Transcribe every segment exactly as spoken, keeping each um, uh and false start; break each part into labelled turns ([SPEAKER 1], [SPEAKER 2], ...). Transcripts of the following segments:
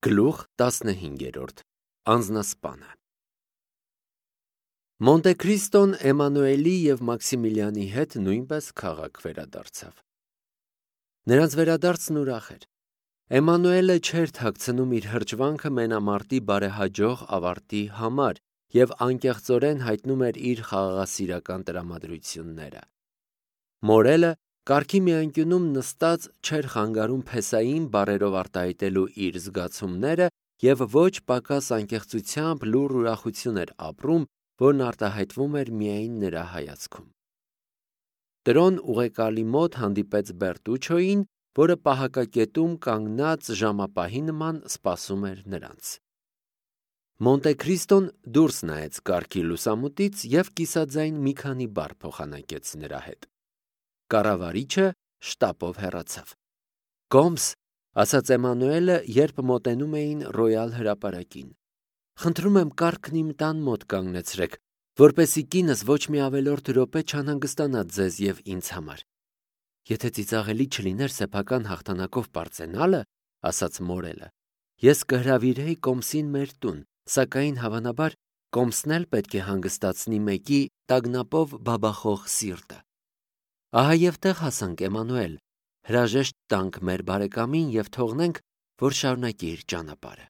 [SPEAKER 1] Գլուխ տասնհինգերորդ Անձնասպանը Մոնտե Քրիստոն Էմանուելի և Մաքսիմիլիանի հետ նույնպես քաղաք վերադարձավ։ Նրանց վերադարձն ուրախ էր։ Էմանուելը չէր թաքցնում իր հրճվանքը մենամարտի բարեհաջող ավարտի համար և անկեղծորեն հայտնում էր իր խաղաղասիրական տրամադրությունները։ Մորելը կառքի մի անկյունում նստած չէր խանգարում փեսային բառերով արտահայտելու իր զգացումները և ոչ պակաս անկեղծությամբ լուռ ուրախություն էր ապրում, որն արտահայտվում էր միայն նրա հայացքում։ Տրոն ուղեկալի մոտ հանդիպեց Բերտուչոյին, որը պահակակետում կանգնած ժամապահի նման սպասում էր նրանց։ Մոնտե Քրիստոն դուրս նայեց կառքի լուսամուտից և կիսաձայն մի քանի բառ փոխանակեց նրա հետ։ Կառավարիչը շտապով հեռացավ։ «Կոմս», ասաց Էմանուելը, երբ մոտենում էին Ռոյալ հրապարակին, «խնդրում եմ կառքն իմ տան մոտ կանգնեցրեք, որպեսզի կինս ոչ մի ավելորդ րոպե չանհանգստանա ձեզ և ինձ համար»։ «Եթե ծիծաղելի չլիներ սեփական հաղթանակով պարծենալը, — ասաց Մորելը, — ես կհրավիրեի Կոմսին մեր տուն, սակայն հավանաբար Կոմսն էլ պետք է հանգստացնի մեկի տագնապով բաբախող սիրտը։ Ահա և տեղ հասանք, Էմանուել, հրաժեշտ տանք մեր բարեկամին և թողնենք, որ շարունակի իր ճանապարհը»։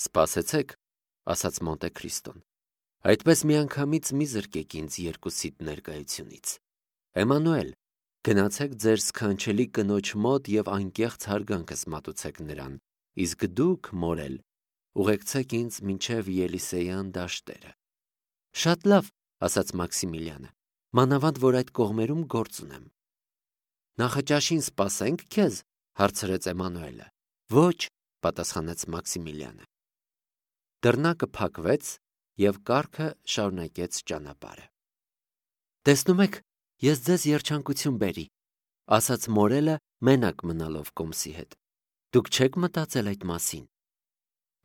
[SPEAKER 1] «Սպասեցեք», — ասաց Մոնտե Քրիստոն, «այդպես միանգամից մի զրկեք ինձ երկուսիդ ներկայությունից։ Էմանուել, գնացեք ձեր սքանչելի կնոջ մոտ և անկեղծ հարգանքս մատուցեք նրան, իսկ դուք, Մորել, ուղեկցեք ինձ մինչև Ելիսեյան դաշտերը»։ «Շատ լավ», — ասաց Մաքսիմիլիանը, «մանավանդ որ այդ կողմերում գործ ունեմ»։ «Նախաճաշին սպասե՞նք քեզ», — հարցրեց Էմանուելը։ «Ոչ», — պատասխանեց Մաքսիմիլիանը։ Դռնակը փակվեց, և կառքը շարունակեց ճանապարհը։ «Տեսնում եք, ես ձեզ երջանկություն բերի», — ասաց Մորելը, մենակ մնալով Կոմսի հետ։ «Դուք չե՞ք մտածել այդ մասին»։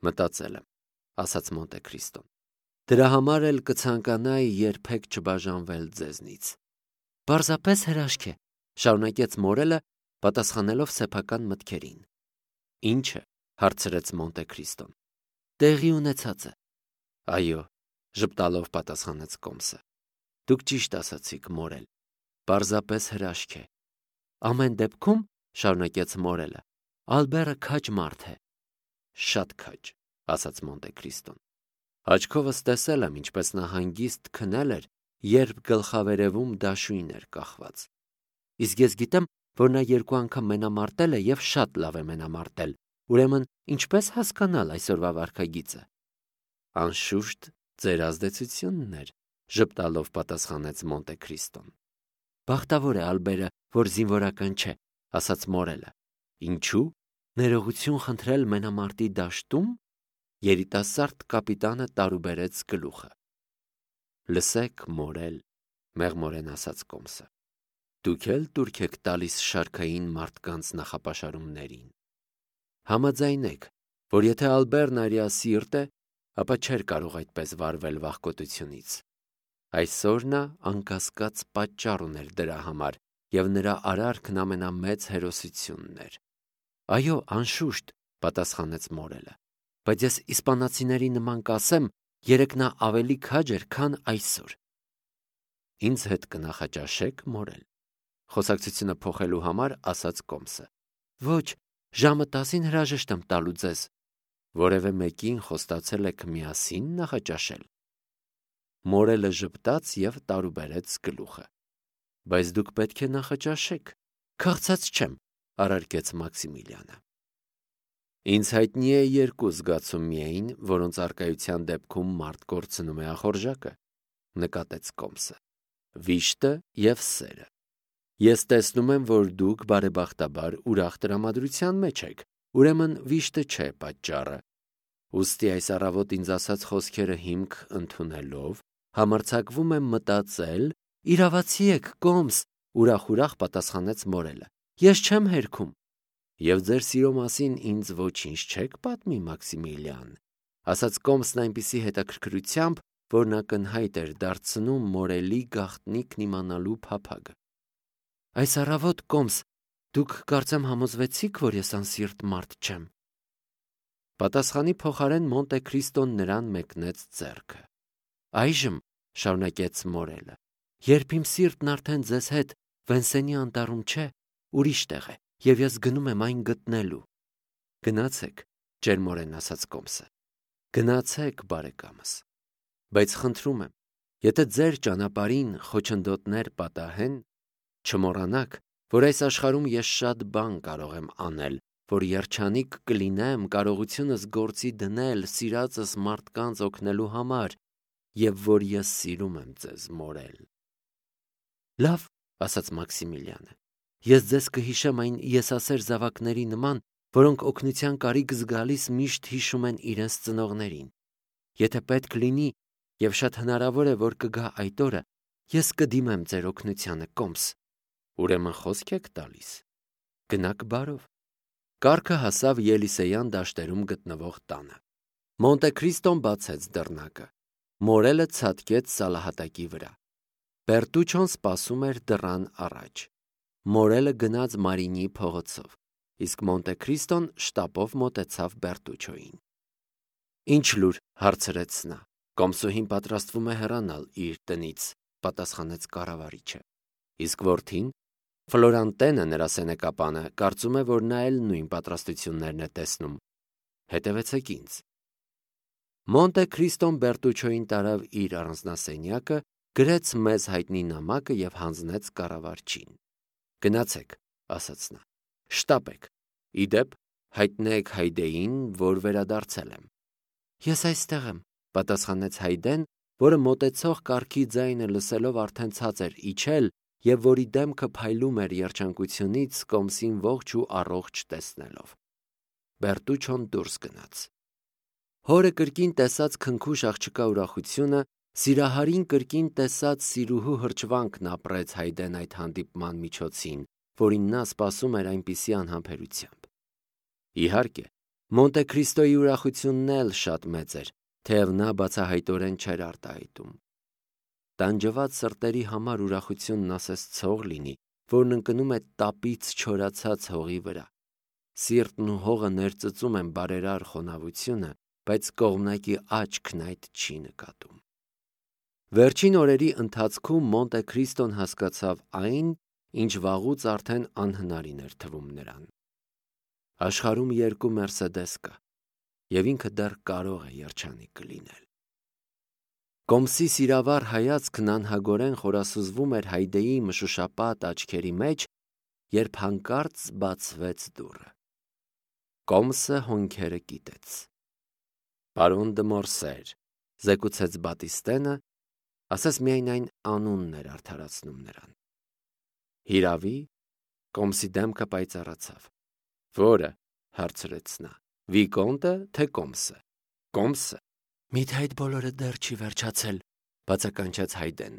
[SPEAKER 1] «Մտածել եմ», — ասաց Մոնտե Քրիստոն։ «Դրա համար էլ կցանկանայի երբեք չբաժանվել ձեզնից»։ «Պարզապես հրաշք է», — շարունակեց Մորելը, պատասխանելով սեփական մտքերին։ «Ի՞նչը», — հարցրեց Մոնտե Քրիստոն։ «Տեղի ունեցածը»։ «Այո», — ժպտալով պատասխանեց Կոմսը։ «Դուք ճիշտ ասացիք, Մորել, պարզապես հրաշք է»։ «Ամեն դեպքում», — շարունակեց Մորելը, «Ալբերը քաջ մարդ է»։ «Շատ քաջ», — ասաց Մոնտե Քրիստոն։ «Աչքովս տեսել եմ, ինչպես նա հանգիստ քնել էր, երբ գլխավերևում դաշույն էր կախված։ Իսկ ես գիտեմ, որ նա երկու անգամ մենամարտել է և շատ լավ է մենամարտել, ուրեմն ինչպե՞ս հասկանալ այսօրվա վարքագիծը»։ «Անշուշտ, ձեր ազդեցությունն էր», — ժպտալով պատասխանեց Մոնտե Քրիստոն։ «Բախտավոր է Ալբերը, որ զինվորական չէ», — ասաց Մորելը։ «Ինչու՞։ Ներողություն խնդրել մենամարտի դաշտում»։ Երիտասարդ կապիտանը տարուբերեց գլուխը։ «Լսեք, Մորել», — մեղմորեն ասաց Կոմսը, «դուք էլ տուրք եք տալիս շարքային մարդկանց նախապաշարումներին։ Համաձայնեք, որ եթե Ալբերն արիասիրտ է, ապա չէր կարող այդպես վարվել վախկոտությունից։ Այսօր նա անկասկած պատճառ ուներ դրա համար, և նրա արարքն ամենամեծ հերոսությունն էր»։ «Այո, անշուշտ», — պատասխանեց Մորելը, «բայց ես իսպանացիների նման կասեմ, երեկ նա ավելի քաջ էր, քան այսօր»։ «Ինձ հետ կնախաճաշե՞ք, Մորել», — խոսակցությունը փոխելու համար ասաց Կոմսը։ «Ոչ, ժամը տասին հրաժեշտ եմ տալու ձեզ»։ «Որևէ մեկին խոստացել եք միասին նախաճաշել»։ Մորելը ժպտաց և տարուբերեց գլուխը։ «Բայց դուք պետք է նախաճաշեք»։ «Քաղցած չեմ», — առարկեց Մաքսիմիլիանը։ «Ինձ հայտնի է երկու զգացում միայն, որոնց առկայության դեպքում մարդ կորցնում է ախորժակը», — նկատեց Կոմսը։ «Վիշտը և սերը։ Ես տեսնում եմ, որ դուք բարեբախտաբար ուրախ տրամադրության մեջ եք, ուրեմն վիշտը չէ պատճառը։ Ուստի այս առավոտ ինձ ասած խոսքերը հիմք ընդունելով, համարձակվում եմ մտածել...» «Իրավացի եք, Կոմս», — ուրախ-ուրախ պատասխանեց Մորելը, «ես չեմ հերքում»։ «Եվ ձեր սիրո մասին ինձ ոչինչ չեք պատմի, Մաքսիմիլիան», — ասաց Կոմսն այնպիսի հետաքրքրությամբ, որն ակնհայտ էր դարձնում Մորելի գաղտնիքն իմանալու փափագը։ «Այս առավոտ, Կոմս, դուք կարծեմ համոզվեցիք, որ ես անսիրտ մարդ չեմ»։ Պատասխանի փոխարեն Մոնտե Քրիստոն նրան մեկնեց ձեռքը։ Այժմ, շարունակեց մորելը, երբ իմ սիրտն արդեն ձեզ հետ Վենսենի անտառում չէ, ուրիշ տեղ է, եւ ես գնում եմ այն գտնելու։ Գնացեք, ջերմորեն ասաց Կոմսը։ Գնացեք, բարեկամս։ Բայց խնդրում եմ, եթե ձեր ճանապարհին խոչընդոտներ պատահեն, չմոռանաք, որ այս աշխարհում ես շատ բան կարող եմ անել, որ երջանիկ կլինեմ կարողությունս գործի դնել սիրածս մարդկանց օգնելու համար, եւ որ ես սիրում եմ ձեզ, մորել։ Լավ, ասաց Մաքսիմիլիանը, ես ձեզ կհիշեմ այն եսասեր զավակների նման, որոնք օգնության կարիք զգալիս միշտ հիշում են իրենց ծնողներին։ Եթե պետք լինի, եւ շատ հնարավոր է, որ կգա այդ օրը, ես կդիմեմ ձեր օգնությանը, Կոմս։ Ուրեմն խոսք եք տալիս։ Գնաք բարով։ Կառքը հասավ Ելիսեյան դաշտերում գտնվող տանը։ Մոնտե Քրիստոն բացեց դռնակը։ Մորելը ցատկեց սալահատակի վրա։ Բերտուչոն սպասում էր դռան առաջ։ Մորելը գնաց Մարինի փողոցով, իսկ Մոնտե Քրիստոն շտապով մոտեցավ Բերտուչոյին։ Ինչ լուր, հարցրեց նա։ Կոմսուհին պատրաստվում է հեռանալ իր տնից, պատասխանեց կառավարիչը։ Իսկ որդին, Ֆլորանտենը, նրա սենեկապանը, կարծում է, որ նա էլ նույն պատրաստություններն է տեսնում։ Հետևեցեք ինձ։ Մոնտե Քրիստոն Բերտուչոյին տարավ իր առանձնասենյակը, գրեց մեզ հայտնի նամակը եւ հանձնեց կառավարչին։ Գնացեք, ասաց նա։ Շտապեք։ Իդեպ, հայտնեք Հայդեին, որ վերադարձել եմ։ Ես այստեղ եմ, պատասխանեց Հայդեն, որը մոտեցող կառքի ձայնը լսելով արդեն ցած էր իջել եւ որի դեմքը փայլում էր երջանկությունից Կոմսին ողջ ու առողջ տեսնելով։ Բերտուչոն դուրս գնաց։ Հորը կրկին տեսած քնքուշ աղջկա ուրախությունը, սիրահարին կրկին տեսած սիրուհու հրճվանքն ապրեց Հայդեն այդ հանդիպման միջոցին, որին նա սպասում էր այնպիսի անհամբերությամբ։ Իհարկե, Մոնտե Քրիստոյի ուրախությունն էլ շատ մեծ էր, թեև նա բացահայտորեն չէր արտահայտում։ Տանջված սրտերի համար ուրախությունն ասես ցող լինի, որն ընկնում է տապից չորացած հողի վրա։ Սիրտն ու հողը ներծծում են բարերար խոնավությունը, բայց կողմնակի աչքն այդ չի նկատում։ Վերջին օրերի ընթացքում Մոնտե Քրիստոն հասկացավ այն, ինչ վաղուց արդեն անհնարին էր թվում նրան։ Աշխարհում երկու Մերսեդես կա, եւ ինքը դեռ կարող է երջանիկ լինել։ Կոմսի սիրավար հայացքն անհագորեն խորասուզվում էր Հայդեի մշուշապատ աչքերի մեջ, երբ հանկարծ բացվեց դուռը։ Կոմսը հոնքերը կիտեց։ Պարոն դը Մորսեր, զեկուցեց Բատիստենը, ասես միայն այն անունն էր արդարացնում նրան։ Հիրավի, Կոմսի դեմքը պայծառացավ։ Որը, հարցրեց նա, Վիկոնտը, թե Կոմսը։ Կոմսը։ Միթե այդ բոլորը դեռ չի վերջացել, բացականչեց Հայդեն։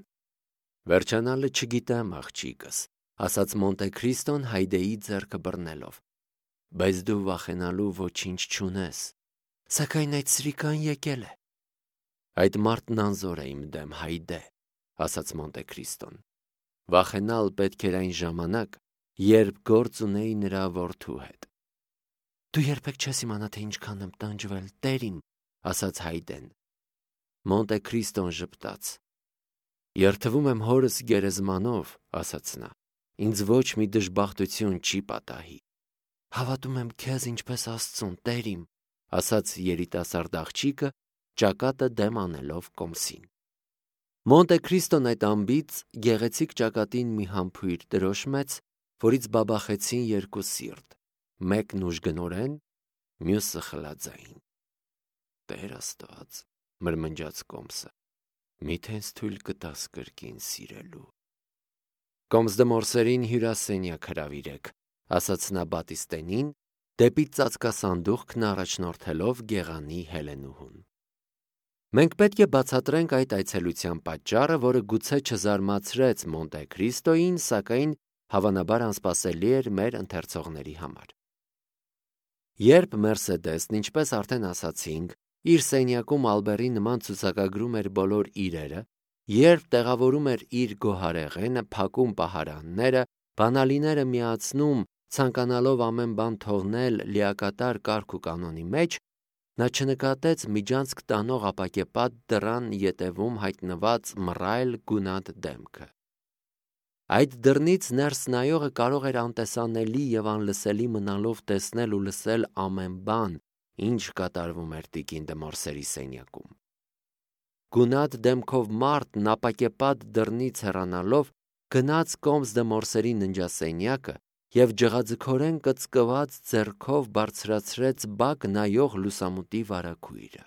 [SPEAKER 1] Վերջանալը չգիտեմ, աղջիկս, ասաց Մոնտե Քրիստոն Հայդեի ձեռքը բռնելով։ Բայց դու վախենալու ոչինչ չունես, սակայն այդ սրիկան եկել է։ Այդ մարդն անզոր է իմ դեմ, Հայդե, ասաց Մոնտե Քրիստոն։ Վախենալ պետք էր այն ժամանակ, երբ գործ ունեի նրա որդու հետ։ Դու երբեք չես իմանա, թե ինչքան եմ տանջվել, Տեր իմ, ասաց Հայդեն։ Մոնտե Քրիստոն ժպտաց։ Երթվում եմ հորս գերեզմանով, ասաց նա։ Ինձ ոչ մի դժբախտություն չի պատահի։ Հավատում եմ քեզ ինչպես Աստծուն, Տեր իմ, ասաց երիտասարդ աղջիկը, ճակատը դեմ անելով Կոմսին։ Մոնտե Քրիստոն այդ ամբից գեղեցիկ ճակատին մի համբույր դրոշմեց, որից բաբախեցին երկու սիրտ, մեկն ուժգնորեն, մյուսը խլաձային։ Տեր Աստված, մրմնջաց Կոմսը, միթե ինձ թույլ կտաս կրկին սիրելու։ Կոմս դը Մորսերին հյուրասենյակ հրավիրեք, ասաց նա Բատիստենին, դեպի ծածկասանդուղքն առաջնորդելով գեղանի Հելենուհուն։ Մենք պետք է բացատրենք այդ այցելության պատճառը, որը գուցե չզարմացրեց Մոնտե Քրիստոյին, սակայն հավանաբար անսպասելի էր մեր ընթերցողների համար։ Երբ Մերսեդեսն, ինչպես արդեն ասացինք, իր սենյակում Ալբերի նման ցուցակագրում էր բոլոր իրերը, երբ տեղավորում էր իր գոհարեղենը, փակում պահարանները, բանալիները միացնում, ցանկանալով ամեն բան թողնել լիակատար կարգ ու կանոնի մեջ, Նա չնկատեց միջանցք տանող ապակեպատ դռան ետևում հայտնված մռայլ գունատ դեմքը։ Այդ դռնից ներս նայողը կարող էր անտեսանելի և անլսելի մնալով տեսնել ու լսել ամեն բան, ինչ կատարվում էր տիկին դե Մորսերի սենյակում։ Գունատ դեմքով մարդն ապակեպատ դռնից հեռանալով գնաց կոմս դե Մորսերի ննջասենյակը և ջղաձգորեն կծկված ձեռքով բարձրացրեց բակ նայող լուսամուտի վարագույրը։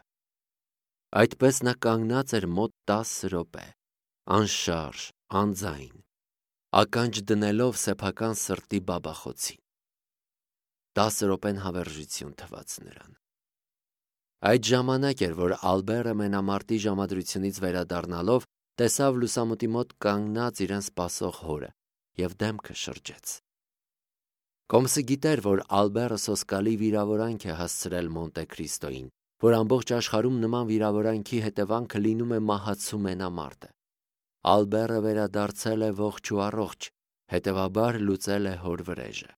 [SPEAKER 1] Այդպես նա կանգնած էր մոտ տասը րոպե, անշարժ, անձայն, ականջ դնելով սեփական սրտի բաբախոցին։ Տասը րոպեն հավերժություն թվաց նրան։ Այդ ժամանակ էր, որ Ալբերը մենամարտի ժամադրությունից վերադառնալով տեսավ լուսամուտի մոտ կանգնած իրեն սպասող հորը և դեմքը շրջեց։ Կոմսը գիտեր, որ Ալբերը սոսկալի վիրավորանք է հասցրել Մոնտե Քրիստոյին, որ ամբողջ աշխարհում նման վիրավորանքի հետևանքը լինում է մահացու մենամարտը։ Ալբերը վերադարձել է ողջ ու առողջ, հետևաբար լուծել է հոր վրեժը։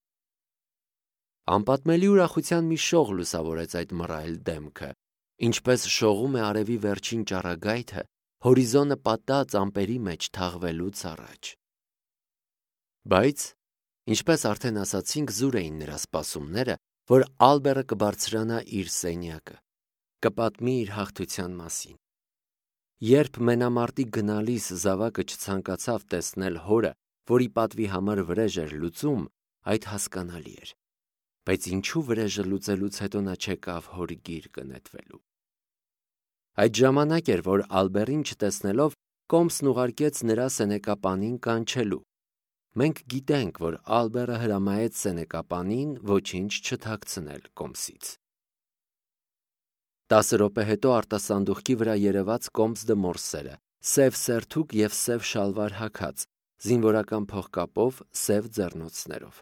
[SPEAKER 1] Անպատմելի ուրախության մի շող լուսավորեց այդ մռայլ դեմքը, ինչպես շողում է արևի վերջին ճառագայթը հորիզոնը պատած ամպերի մեջ թաղվելուց առաջ։ Բայց, ինչպես արդեն ասացինք, զուր էին նրա սպասումները, որ Ալբերը կբարձրանա իր սենյակը, կպատմի իր հաղթության մասին։ Երբ մենամարտի գնալիս զավակը չցանկացավ տեսնել հորը, որի պատվի համար վրեժ էր լուծում, այդ հասկանալի էր։ Բայց ինչու վրեժը լուծելուց հետո նա չեկավ հոր գիրկը նետվելու։ Այդ ժամանակ էր, որ Ալբերին չտեսնելով կոմսն ուղարկեց նրա սենեկապանին կանչելու։ Մենք գիտենք, որ Ալբերը հրամայեց սենեկապանին ոչինչ չթաքցնել կոմսից։ Տասը րոպե հետո արտասանդուղքի վրա երևաց կոմս դե Մորսերը, սև սերթուկ և սև շալվար հագած, զինվորական փողկապով, սև ձեռնոցներով։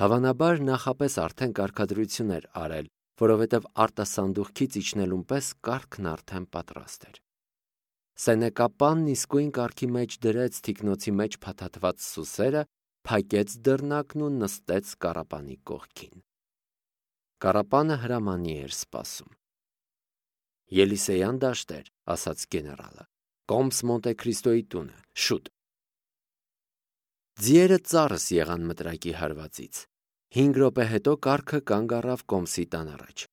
[SPEAKER 1] Հավանաբար նախապես արդեն կարգադրություն էր արել, որովհետև արտասանդուղքից իջնելուն պես կարգն արդեն պատրաստ էր։ Սենեկապանն իսկույն կարգի մեջ դրեց թիկնոցի մեջ փաթաթված սուսերը, փակեց դռնակն ու նստեց կառապանի կողքին։ Կառապանը հրամանի էր սպասում։ Ելիսեյան դաշտեր, ասաց գեներալը, կոմս Մոնտե Քրիստոյի տունը, շուտ։ Ձիերը ծառս եղան մտրակի հարվածից։ Հինգ րոպե հետո կառքը կանգ առավ կոմսի տան առաջ։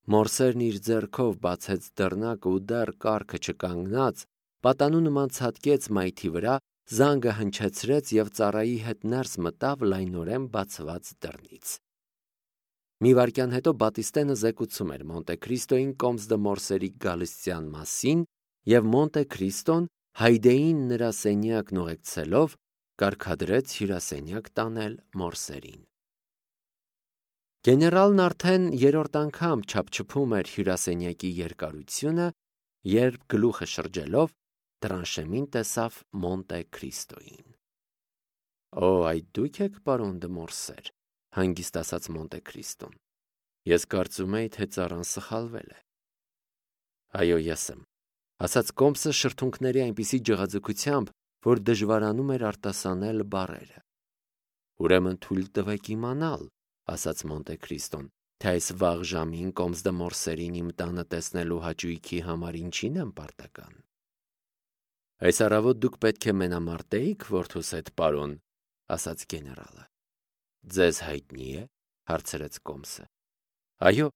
[SPEAKER 1] Մորսերն իր ձեռքով բացեց դռնակը ու դեռ կառքը չկանգնած, պատանու նման ցատկեց մայթի վրա, զանգը հնչեցրեց և ծառայի հետ ներս մտավ լայնորեն բացված դռնից։ Մի վայրկյան հետո Բատիստենը զեկուցում էր Մոնտե Քրիստոյին կոմս դե Մորսերի գալստյան մասին, և Մոնտե Քրիստոն Հայդեին նրա սենյակն ուղեկցելով կարգադրեց հյուրասենյակ տանել Մորսերին։ Գեներալն արդեն երրորդ անգամ չափչփում էր հյուրասենյակի երկարությունը, երբ գլուխը շրջելով Տրանշեմին տեսավ Մոնտե Քրիստոյին։ «Օ, այդ դուք եք, պարոն դե Մորսեր», հանգիստ ասաց Մոնտե Քրիստոն։ «Ես կարծում էի, թե ծառան սխալվել է»։ «Այո, ես եմ», ասաց կոմսը շրթունքների այնպիսի ջղաձգությամբ, որ դժվարանում էր արտասանել բառերը։ «Ուրեմն թույլ տվեք իմանալ», ասաց Մոնտե Քրիստոն, թե այս վաղ ժամին կոմս դե Մորսերին իմ տանը տեսնելու հաճույքի համար ինչին եմ պարտական։ «Այս առավոտ դուք պետք է մենամարտեիք որդուս հետ, պարոն», ասաց գեներալը։ «Ձեզ հայտնի է», հարցրեց կոմսը։ «Այո,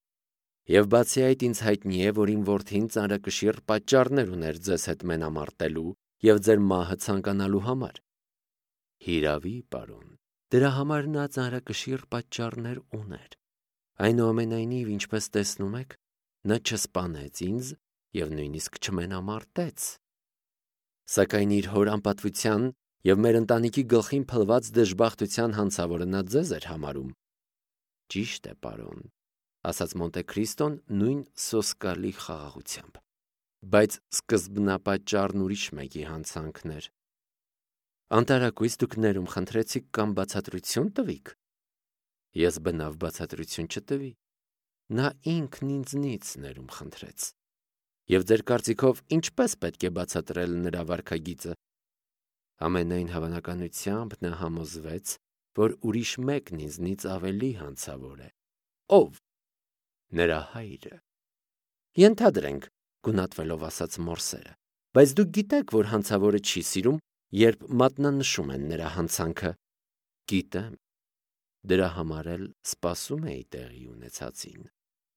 [SPEAKER 1] և բացի այդ ինձ հայտնի է, որ իմ որդին ծանրակշիռ պատճառներ ուներ ձեզ հետ մենամարտելու և ձեր մահը ցանկանալու համար»։ «Հիրավի, պարոն, դրա համար նա ծանրակշիռ պատճառներ ուներ։ Այնուամենայնիվ, ինչպես տեսնում եք, նա չսպանեց ինձ և նույնիսկ չմենամարտեց։ Սակայն իր հոր անպատվության և մեր ընտանիքի գլխին փլված դժբախտության հանցավորը նա ձեզ էր համարում»։ «Ճիշտ է, պարոն», ասաց Մոնտե Քրիստոն նույն սոսկալի խաղաղությամբ, «բայց սկզբնապատճառն ուրիշ մեկի հանցանքն էր»։ «Անտարակույս դուք ներում խնդրեցիք կամ բացատրություն տվիք»։ «Ես բնավ բացատրություն չտվի։ Նա ինքն ինձնից ներում խնդրեց»։ «Եվ ձեր կարծիքով ինչպե՞ս պետք է բացատրել նրա վարքագիծը»։ «Ամենայն հավանականությամբ նա համոզվեց, որ ուրիշ մեկն ինձնից ավելի հանցավոր է»։ «Ո՞վ»։ նրա հայրը։ Ենթադրենք, գունատվելով ասաց Մորսերը, բայց դուք գիտեք, որ հանցավորը չի սիրում, երբ մատնանշում են նրա հանցանքը։ Գիտեմ, դրա համար էլ սպասում էի տեղի ունեցածին։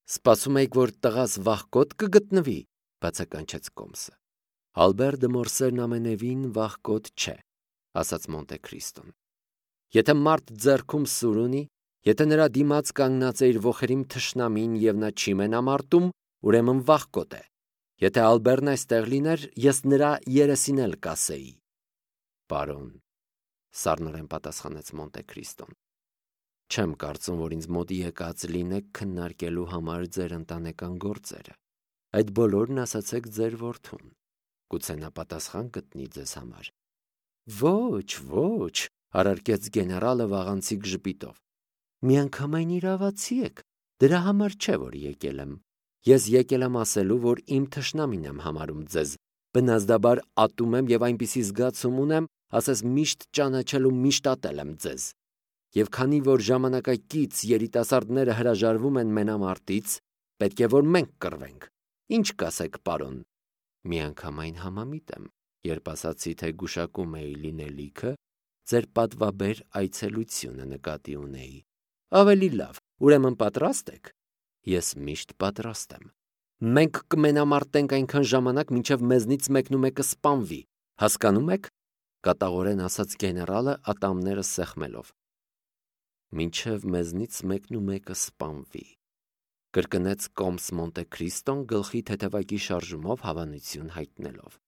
[SPEAKER 1] Սպասում եք, որ տղաս վախկոտ կգտնվի, բացականչեց Կոմսը։ Ալբերտ Մորսերն ամենևին վախկոտ չէ, ասաց Մոնտե Քրիստոն։ Եթե մարդ ձեռքում սուր ունի, եթե նրա դիմաց կանգնած է իր ոխերիմ թշնամին եւ նա չի մենամարտում, ուրեմն վախկոտ է։ Եթե Ալբերտն այստեղ լիներ, ես նրա երեսին էլ կասեի։ Պարոն, սառնորեն պատասխանեց Մոնտե Քրիստոն։ Չեմ կարծում, որ ինձ մոտ եկած լինեք քննարկելու համար ձեր ընտանեկան գործերը։ Այդ բոլորն ասացեք ձեր որդուն։ Գուցե նա պատասխան գտնի ձեզ համար։ Ոչ, ոչ, առարկեց գեներալը վաղանցիկ ժպիտով։ Միանգամայն իրավացի եք, դրա համար չէ, որ եկել եմ։ Ես եկել եմ ասելու, որ իմ թշնամին եմ համարում ձեզ, բնազդաբար ատում եմ եւ այնպիսի զգացում ունեմ, ասես միշտ ճանաչել ու միշտ ատել եմ ձեզ։ Եվ քանի որ ժամանակակից երիտասարդները հրաժարվում են մենամարտից, պետք է որ մենք կռվենք։ Ինչ կասեք, պարոն։ Միանգամայն համամիտ եմ, երբ ասացի, թե գուշակում էի լինելիքը, ձեր պատվաբեր այցելությունը նկատի ունեի։ Ավելի լավ, ուրեմն պատրաստ եք։ Ես միշտ պատրաստ եմ։ Մենք կմենամարտենք այնքան ժամանակ, մինչև մեզնից մեկնումեկը սպանվի։ Հասկանում եք, կատաղորեն ասաց գեներալը ատամները սեղմելով։ Մինչև մեզնից մեկնումեկը սպանվի, կրկնեց Կոմս Մոնտե Քրիստոն գլխի թեթևակի շարժումով հավանություն հայտնելով։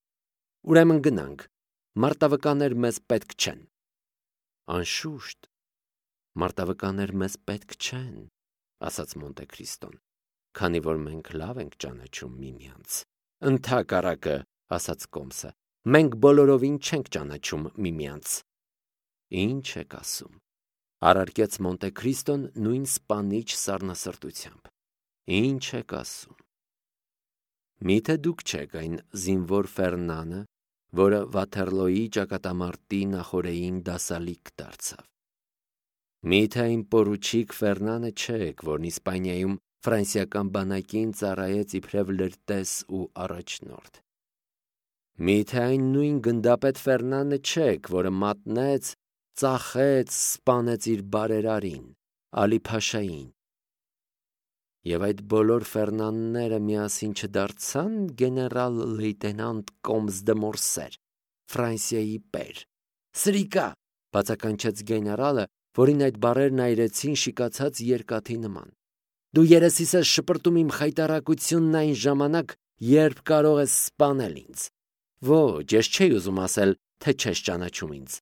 [SPEAKER 1] Ուրեմն գնանք, մարտավկաններ մեզ պետք չեն։ Անշուշտ, մարտավկաններ մեզ պետք չեն, ասաց Մոնտե Քրիստոն, քանի որ մենք լավ ենք ճանաչում միմյանց։ Ընդհակառակը, ասաց Կոմսը, մենք բոլորովին չենք ճանաչում միմյանց։ Ինչ եք ասում, առարկեց Մոնտե Քրիստոն նույն սպանիչ սառնասրտությամբ։ Ինչ եք ասում։ Միթե դուք չեք այն զինվոր Ֆերնանը, որը Վաթերլոյի ճակատամարտի նախօրեին դասալիկ դարձավ։ Միթե այն պորուչիկ Ֆերնանը չեք, որն Իսպանիայում ֆրանսիական բանակին ծառայեց իբրև լրտես ու առաջնորդ։ Միթե այն նույն գնդապետ Ֆերնանը չեք, որը մատնեց, ծախեց, սպանեց իր բարերարին, Ալի Փաշային։ Եվ այդ բոլոր Ֆերնանները միասին չդարձան գեներալ լեյտենանտ Կոմս դե Մորսեր, Ֆրանսիայի պեր։ Սրիկա, բացականչեց գեներալը, որին այդ բառերն այրեցին շիկացած երկաթի նման։ Դու երեսիս ես շպրտում իմ խայտառակությունն այն ժամանակ, երբ կարող ես սպանել ինձ։ Ոչ, ես չէի ուզում ասել, թե չես ճանաչում ինձ։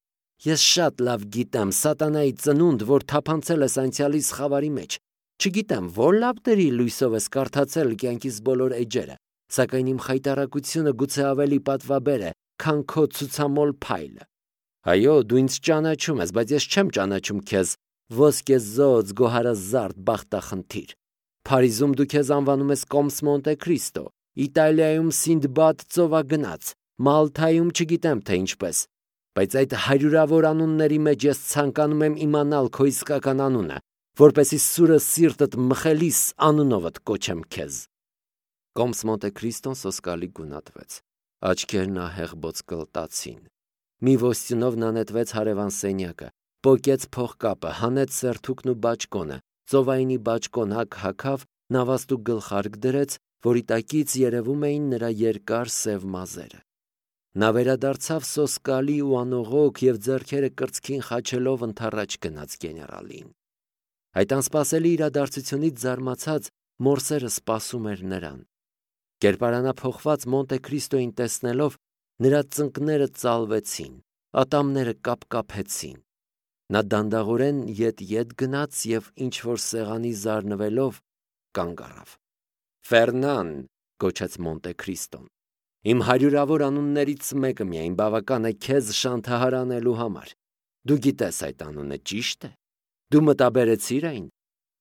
[SPEAKER 1] Ես շատ լավ գիտեմ սատանայի ծնունդ, որ թափանցել ես անցյալիս խավարի մեջ։ Չգիտեմ, որ լավ դերի լույսով ես կարդացել կյանքիս բոլոր էջերը, սակայն իմ խայտառակությունը գուցե ավելի պատվաբեր է, քան քո ցուցամոլ փայլը։ Այո, դու ինձ ճանաչում ես, բայց ես չեմ ճանաչում քեզ, ոսկեզօծ, գոհարազարդ բախտախնդիր։ Փարիզում դու քեզ անվանում ես Կոմս Մոնտե Քրիստո, Իտալիայում Սինդբադ ծովագնաց, Մալթայում չգիտեմ թե ինչպես, բայց այդ հարյուրավոր անունների մեջ ես ցանկանում եմ իմանալ քո իսկական անունը, որպեսզի սուրը սիրտդ մխելիս անունովդ կոչեմ քեզ։ Կոմս Մոնտե Քրիստոն սոսկալի գունատվեց, աչքերն ահեղ բոցկլտացին։ Մի ոստյունով նա նետվեց հարևան սենյակը, պոկեց փողկապը, հանեց սերթուկն ու բաճկոնը, ծովայինի բաճկոնակ հագավ, նավաստու գլխարկ դրեց, որի տակից երևում էին նրա երկար սև մազերը։ Նա վերադարձավ սոսկալի ու անողոք և ձեռքերը կրծքին խաչելով ընդառաջ գնաց գեներալին։ Այդ անսպասելի իրադարձությունից զարմացած Մորսերը սպասում էր նրան։ Կերպարանափոխված Մոնտե Քրիստոյին տեսնելով, նրա ծնկները ծալվեցին, ատամները կապկապեցին։ Նա դանդաղորեն ետ-ետ գնաց և ինչ-որ սեղանի զարնվելով կանգ առավ։ Ֆերնան, գոչեց Մոնտե Քրիստոն, իմ հարյուրավոր անուններից մեկը միայն բավական է քեզ շանթահար անելու համար։ Դու գիտես այդ անունը, ճիշտ է։ Դու մտաբերեցիր այն,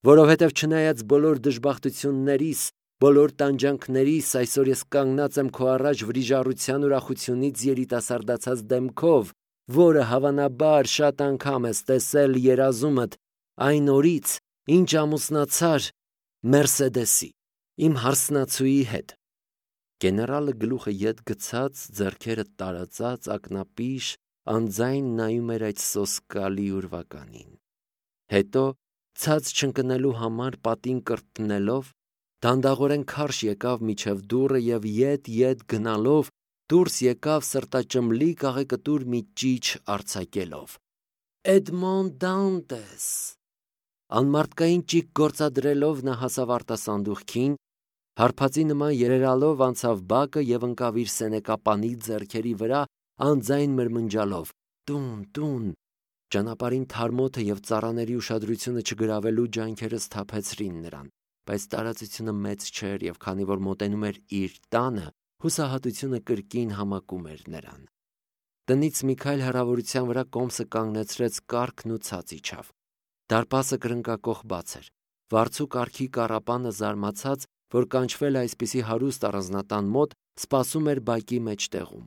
[SPEAKER 1] որովհետև չնայած բոլոր դժբախտություններիս, բոլոր տանջանքներիս, այսօր ես կանգնած եմ քո առաջ վրիժառության ուրախությունից երիտասարդացած դեմքով, որը հավանաբար շատ անգամ ես տեսել երազումդ այն օրից, ինչ ամուսնացար, Մերսեդեսի, իմ հարսնացուի հետ։ Գեներալը գլուխը ետ գցած, ձեռքերը տարածած, ակնապիշ, անձայն նայում էր այդ սոսկալի ուրվականին։ Հետո, ցած չընկնելու համար պատին կրտնելով, դանդաղորեն քարշ եկավ միջև դուռը և ետ-ետ գնալով դուրս եկավ սրտաճմլիկ աղեկտուր մի ճիչ արձակելով. «Էդմոն Դանտես»։ Անմարդկային ճիգ գործադրելով նա հասավ արտասանդուղքին, հարբածի նման երերալով անցավ բակը և ընկավ իր սենեկապանի ձեռքերի վրա, անձայն մրմնջալով. «Տուն, տուն»։ Ճանապարհին թարմոթը և ծառաների ուշադրությունը չգրավելու ջանքերը սթափեցրին նրան, բայց տարածությունը մեծ չէր և քանի որ մոտենում էր իր տանը, հուսահատությունը կրկին համակում էր նրան։ Տնից մի քայլ հեռավորության վրա կոմսը կանգնեցրեց կառքն ու ցած իջավ։ Դարպասը կրնկակոխ բաց էր։ Վարձու կառքի կառապանը զարմացած, որ կանչվել է այսպիսի հարուստ առանձնատան մոտ, սպասում էր բակի մեջտեղում։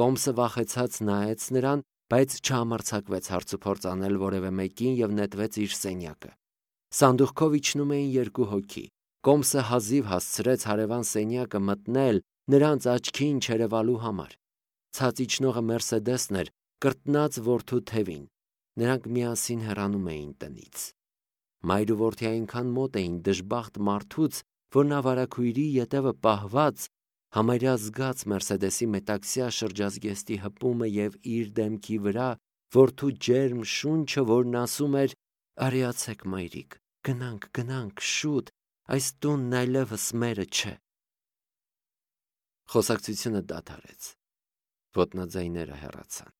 [SPEAKER 1] Կոմսը վախեցած նայեց նրան, բայց չհամարձակվեց հարցուփորձ անել որևէ մեկին և նետվեց իր սենյակը։ Սանդուղքով իջնում էին երկու հոգի։ Կոմսը հազիվ հասցրեց հարևան սենյակը մտնել նրանց աչքին չերևալու համար։ Ցած իջնողը Մերսեդեսն էր, կրտնած որդու թևին։ Նրանք միասին հեռանում էին տնից։ Մայր ու որդի այնքան մոտ էին դժբախտ մարդուց, որ նա վարագույրի ետևը պահված համարյա զգաց Մերսեդեսի մետաքսյա շրջազգեստի հպումը և իր դեմքի վրա որդու ջերմ շունչը, որն ասում էր. «Արիացեք, մայրիկ, գնանք, գնանք, շուտ, այս տունն այլևս մերը չէ»։ Խոսակցությունը դադարեց։ Ոտնաձայները հեռացան։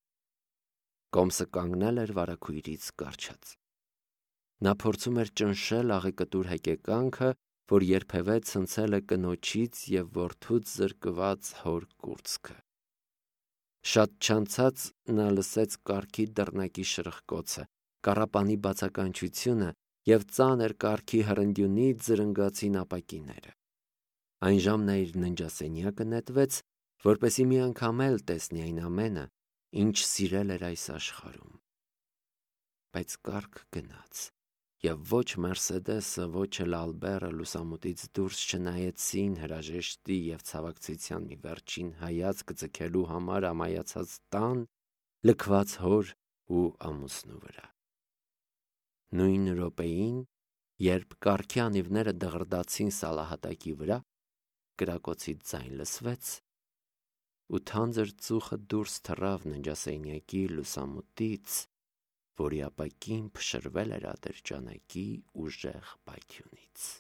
[SPEAKER 1] Կոմսը կանգնել էր վարագույրից կառչած։ Նա փորձում էր ճնշել աղեկտուր հեկեկանքը, որ երբևէ ցնցել է կնոջից և որդուց զրկված հոր կուրծքը։ Շատ չանցած նա լսեց կառքի դռնակի շրխկոցը, կառապանի բացականչությունը և ծանր կառքի հրնդյունից զրնգացին ապակիները։ Այն ժամն իր ննջասենյակը նետվեց, որպեսզի մի անգամ էլ տեսնի այն ամենը, ինչ սիրել էր այս աշխարհում։ Բայց կառք գնաց, և ոչ Մերսեդեսը, ոչ էլ Ալբերը լուսամուտից դուրս չնայեցին հրաժեշտի և ցավակցության մի վերջին հայացք ձգելու համար ամայացած տան, լքված հոր ու ամուսնու վրա։ Նույն րոպեին, երբ կառքի անիվները դղրդացին սալահատակի վրա, կրակոցի ձայն լսվեց, ու թանձր ծուխը դուրս թռավ ննջասենյակի լուսամուտից, որի ապակին փշրվել էր ատրճանակի ուժեղ պայթյունից։